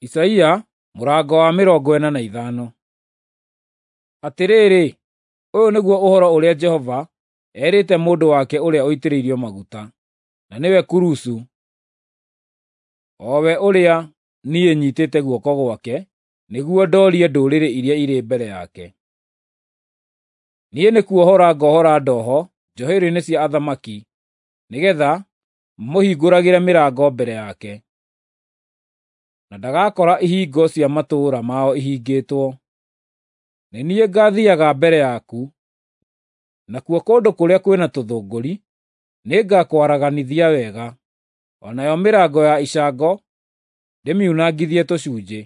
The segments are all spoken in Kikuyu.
Isaia mũrango wa 45. Atĩrĩrĩ, ũyũ nĩguo ũhoro ũrĩa Jehova erĩte mũndũ wake ũrĩa ũitĩrĩirio maguta, na nĩwe Kurusu, o we ũrĩa niĩ nyiitĩte guoko gwake nĩguo ndoorie ndũrĩrĩ iria irĩ mbere yake. Niĩ nĩkuohora ngohora ndoho njohero-inĩ cia athamaki, nĩgeetha mamũhingũragĩre mĩrango mbere yake, na ndagakora ihingo cia matũũra mao ihingĩtwo. Nĩ niĩ ngaathiiaga mbere yaku, nakuo kũndũ kũrĩa kwĩna tũthũngũri nĩngakwaraganithia wega, o nayo mĩrango ya icango ndĩmiunangithie tũcunjĩ,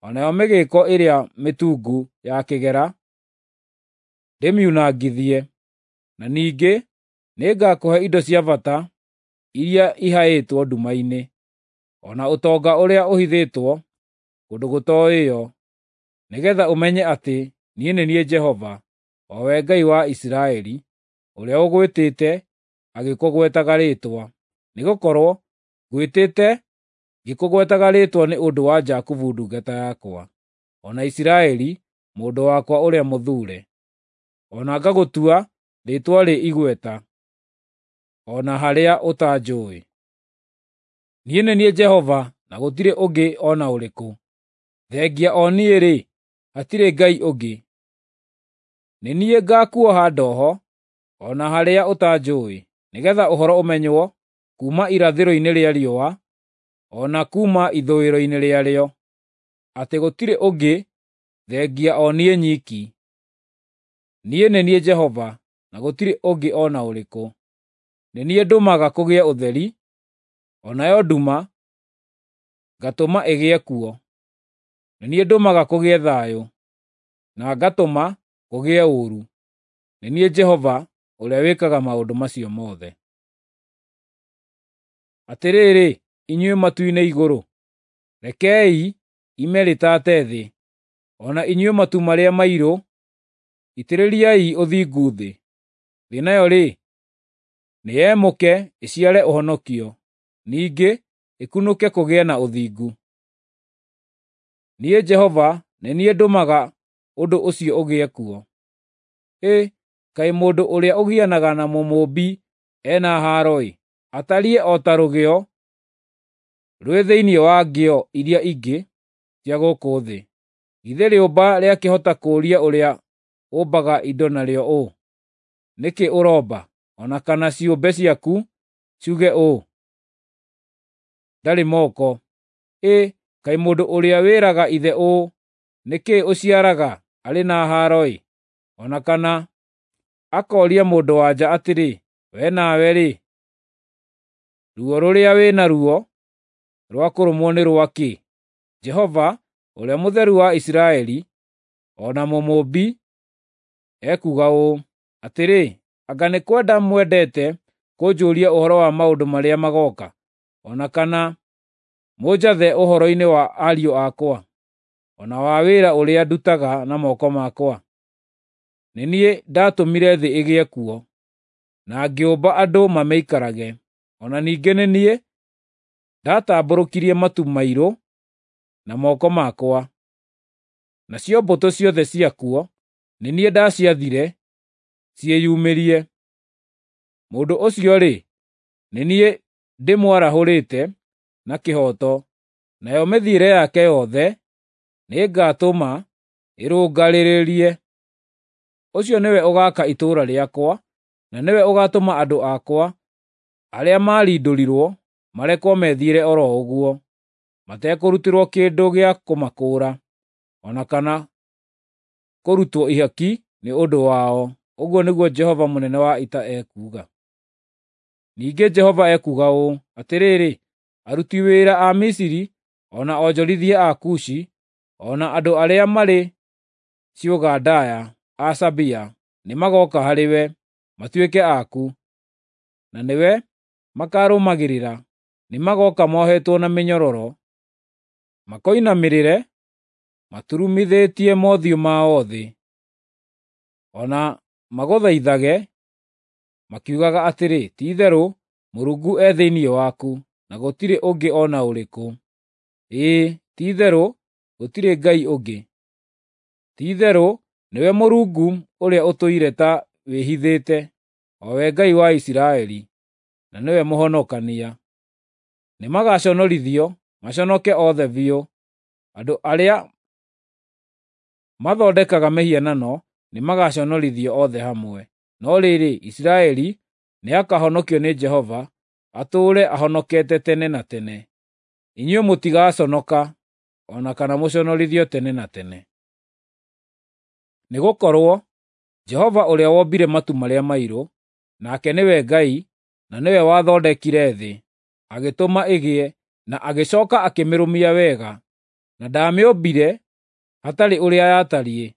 o nayo mĩgĩĩko ĩrĩa mĩtungu ya kĩgera ndĩmiunangithie. Na ningĩ nĩngakũhe indo cia bata iria ihaĩtwo nduma-inĩ, o na ũtonga ũrĩa ũhithĩtwo kũndũ gũtooĩo, nĩgeetha ũmenye atĩ niĩ nĩ niĩ Jehova, o we Ngai wa Isiraeli, ũrĩa ũgwĩtĩte agĩkũgwetaga rĩĩtwa. Nĩgũkorwo ngwĩtĩte ngĩkũgwetaga rĩĩtwa nĩ ũndũ wa Jakubu ndungata yakwa, o na Isiraeli mũndũ wakwa ũrĩa mũthuure, o na ngagũtua rĩĩtwa rĩ igweta, o na harĩa ũtanjũũĩ. Niĩ nĩ niĩ Jehova na gũtirĩ ũngĩ o na ũrĩkũ; thengia o niĩ-rĩ, hatirĩ Ngai ũngĩ. Nĩ niĩ ngaakuoha ndoho o na harĩa ũtanjũũĩ, nĩgeetha ũhoro ũmenywo kuuma irathĩro-inĩ rĩa riũa o na kuuma ithũĩro-inĩ rĩarĩo, atĩ gũtirĩ ũngĩ thengia o niĩ nyiki. Niĩ nĩ niĩ Jehova, na gũtirĩ ũngĩ o na ũrĩkũ. Nĩ niĩ ndũmaga kũgĩe ũtheri, o nayo nduma ngatũma ĩgĩe kuo. Nĩ niĩ ndũmaga kũgĩe thayũ, na ngatũma kũgĩe ũũru. Nĩ niĩ Jehova ũrĩa wĩkaga maũndũ macio mothe. Atĩrĩrĩ, inyuĩ matu-inĩ igũrũ, rekei ime rĩtaate thĩ, o na inyuĩ matu marĩa mairũ, itĩrĩriai ũthingu thĩ. Thĩ nayo-rĩ, nĩyemũke ĩciare ũhonokio, ningĩ ĩkunũke kũgĩe na ũthingu. Niĩ Jehova nĩ niĩ ndũmaga ũndũ ũcio ũgĩe kuo. Ĩ, kaĩ mũndũ ũrĩa ũgianaga na Mũmũũmbi e na haaro-ĩ! Atariĩ o ta rũgĩo rwĩ thĩinĩ wa ngĩo iria ingĩ cia gũkũ thĩ. Githĩ rĩũmba rĩakĩhota kũũria ũrĩa ũmbaga indo narĩo ũũ, ‘Nĩ kĩ ũromba?’ O na kana ciũmbe ciaku ciuge ũũ, ‘Ndarĩ moko’? Ĩ, kaĩ mũndũ ũrĩa wĩraga ithe ũũ, ‘Nĩ kĩĩ ũciaraga?’ arĩ na haaro-ĩ! O na kana akooria mũndũ-wa-nja atĩrĩ, ‘Wee nawe-rĩ, ruo rũrĩa wĩ naruo rwa kũrũmwo nĩ rwa kĩ?’ Jehova, Ũrĩa Mũtheru wa Isiraeli, o na Mũmũũmbi, ekuuga ũũ: Atĩrĩ, anga nĩ kwenda mwendete kũnjũũria ũhoro wa maũndũ marĩa magooka, o na kana mũnjathe ũhoro-inĩ wa ariũ akwa, o na wa wĩra ũrĩa ndutaga na moko makwa? Nĩ niĩ ndaatũmire thĩ ĩgĩe kuo, na ngĩũmba andũ mamĩikarage. O na ningĩ nĩ niĩ ndatambũrũkirie matu mairũ na moko makwa, nacio mbũtũ ciothe ciakuo nĩ niĩ ndaciathire ciĩyumĩrie. Mũndũ ũcio-rĩ, nĩ niĩ ndĩmwarahũrĩte na kĩhooto, nayo mĩthiĩre yake yothe nĩngatũma ĩrũngarĩrĩrie. Ũcio nĩwe ũgaaka itũũra rĩakwa, na nĩwe ũgaatũma andũ akwa arĩa maarindũrirwo marekwo methiĩre o ro ũguo, matekũrutĩrwo kĩndũ gĩa kũmakũũra, o na kana kũrutwo ihaki nĩ ũndũ wao, ũguo nĩguo Jehova mũnene wa ita ekuuga. Ningĩ Jehova ekuuga ũũ: Atĩrĩrĩ, aruti wĩra a Misiri, o na onjorithia a Kushi, o na andũ arĩa marĩ ciũga ndaaya a Sabea nĩmagooka harĩwe matuĩke aku, na nĩwe makaarũmagĩrĩra. Nĩmagooka mohetwo na mĩnyororo, makoinamĩrĩre maturumithĩtie mothiũ mao thĩ, o na magũthaithage makiugaga atĩrĩ, ‘Ti-itherũ Mũrungu e thĩinĩ waku, na gũtirĩ ũngĩ o na ũrĩkũ.’ Ĩĩ, Ti-itherũ gũtirĩ Ngai ũngĩ. Ti-itherũ nĩwe Mũrungu ũrĩa ũtũire ta wĩhithĩte, o we Ngai wa Isiraeli, na nĩwe Mũhonokania. Nĩmagaconorithio, maconoke othe biũ. Andũ arĩa mathondekaga mĩhianano nĩmagaconorithio othe hamwe. No rĩrĩ, Isiraeli nĩakahonokio nĩ Jehova, atũũre ahonokete tene na tene. Inyuĩ mũtigaconoka, o na kana mũconorithio tene na tene. Nĩgũkorwo Jehova ũrĩa wombire matu marĩa mairũ, nake nĩwe Ngai, na nĩwe wathondekire thĩ, agĩtũma ĩgĩe, na agĩcooka akĩmĩrũmia wega, na ndaamĩũmbire hatarĩ ũrĩa yatariĩ,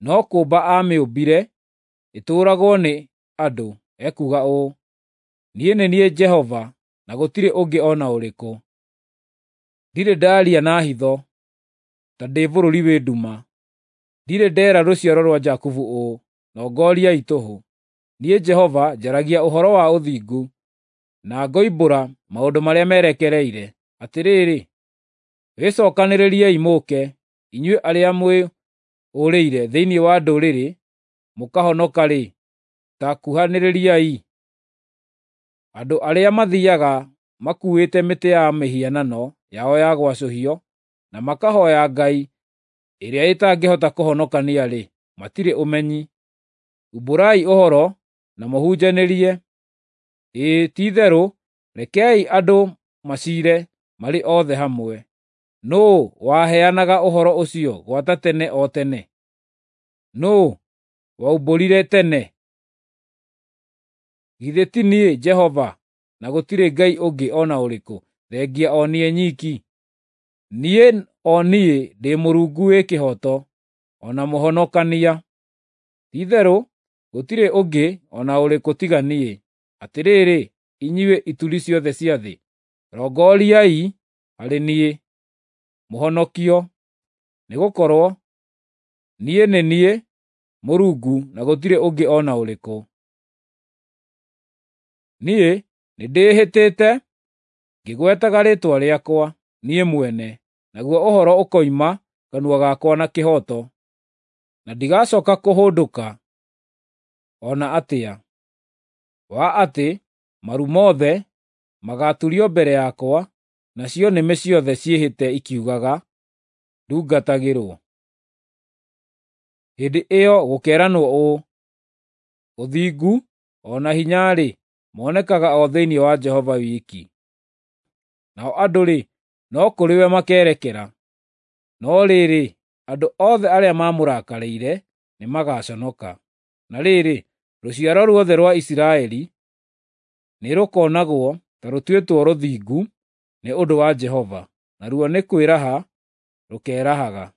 no kũũmba aamĩũmbire ĩtũũragwo nĩ andũ, ekuuga ũũ: “Niĩ nĩ niĩ Jehova, na gũtirĩ ũngĩ o na ũrĩkũ. Ndirĩ ndaaria na hitho, ta ndĩ bũrũri wĩ nduma. Ndirĩ ndeera rũciaro rwa Jakubu ũũ, ‘Nongoriai tũhũ.’ Niĩ Jehova njaragia ũhoro wa ũthingu, na ngoimbũra maũndũ marĩa merekereire. Atĩrĩrĩ, wĩcookanĩrĩriei mũũke, inyuĩ arĩa mwĩũrĩire thĩinĩ wa ndũrĩrĩ mũkahonoka-rĩ, ta kuhanĩrĩriai. Andũ arĩa mathiiaga makuuĩte mĩtĩ ya mĩhianano yao ya gwacũhio, na makahooya ngai ĩrĩa ĩtangĩhota kũhonokania-rĩ, matirĩ ũmenyi. Umbũrai ũhoro na mũhunjanĩrie, ĩĩ ti-itherũ rekei andũ maciire marĩ othe hamwe. Nũũ waheanaga ũhoro ũcio gwata tene o tene? Nũũ waumbũrire tene? Githĩ ti niĩ Jehova, na gũtirĩ Ngai ũngĩ o na ũrĩkũ thengia o niĩ nyiki? Niĩ o niĩ ndĩ Mũrungu wĩ kĩhooto, o na Mũhonokania. Ti-itherũ gũtirĩ ũngĩ o na ũrĩkũ tiga niĩ. Atĩrĩrĩ, inyuĩ ituri ciothe cia thĩ, rongoriai harĩ niĩ, mũhonokio, nĩgũkorwo niĩ nĩ niĩ Mũrungu na gũtirĩ ũngĩ o na ũrĩkũ. Niĩ nĩndĩĩhĩtĩte ngĩgwetaga rĩĩtwa rĩakwa niĩ mwene, naguo ũhoro ũkoima kanua gakwa na kĩhooto, na ndigacooka kũhũndũka o na atĩa, wa atĩ maru mothe magaaturio mbere yakwa, nacio nĩmĩ ciothe ciĩhĩte ikiugaga, ndungatagĩrwo. Hĩndĩ ĩyo gũkeeranwo ũũ, “Ũthingu o na hinya-rĩ, monekaga o thĩinĩ wa Jehova wiki.” Nao andũ-rĩ, no kũrĩ we makeerekera. No rĩrĩ, andũ othe arĩa maamũrakarĩire nĩmagaconoka. Na rĩrĩ, rũciaro ruothe rwa Isiraeli nĩrũkonagwo ta rũtuĩtwo rũthingu nĩ ũndũ wa Jehova, naruo nĩ kwĩraha rũkeerahaga.